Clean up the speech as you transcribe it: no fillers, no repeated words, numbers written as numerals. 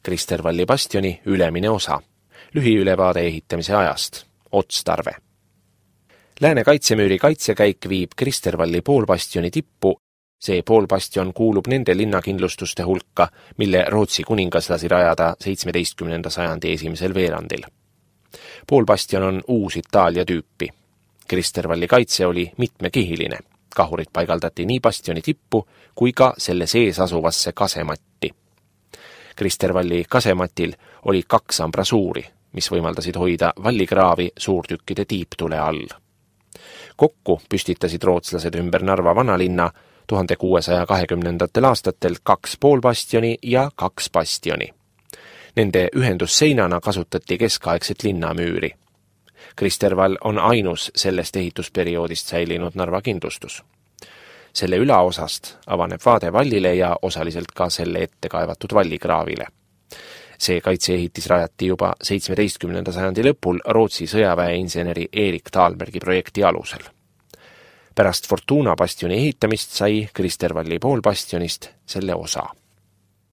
Kristervalli bastioni ülemine osa. Lühiülevaade ehitamise ajast. Otstarve. Lääne kaitsemüüri kaitsekäik viib Kristervalli poolbastioni tippu. See poolbastion kuulub nende linnakindlustuste hulka, mille Rootsi kuningas lasi rajada 17. sajandi esimesel veerandil. Poolbastion on uus Itaalia tüüpi. Kristervalli kaitse oli mitmekihiline. Kahurid paigaldati nii bastioni tippu kui ka selle sees asuvasse kasematti. Kristervalli kasematil oli 2 ambrasuuri, mis võimaldasid hoida vallikraavi suurtükkide tiiptule all. Kokku püstitasid rootslased ümber Narva vanalinna 1620. aastatel 2 poolbastioni ja 2 bastioni. Nende ühendusseinana kasutati keskaegset linnamüüri. Kristervall on ainus sellest ehitusperioodist säilinud Narva kindlustus. Selle ülaosast avaneb vaade vallile ja osaliselt ka selle ette kaevatud vallikraavile. See kaitseehitis rajati juba 17. sajandi lõpul Rootsi sõjaväeinseneri Erik Taalbergi projekti alusel. Pärast Fortuna bastioni ehitamist sai Kristervalli poolbastionist selle osa.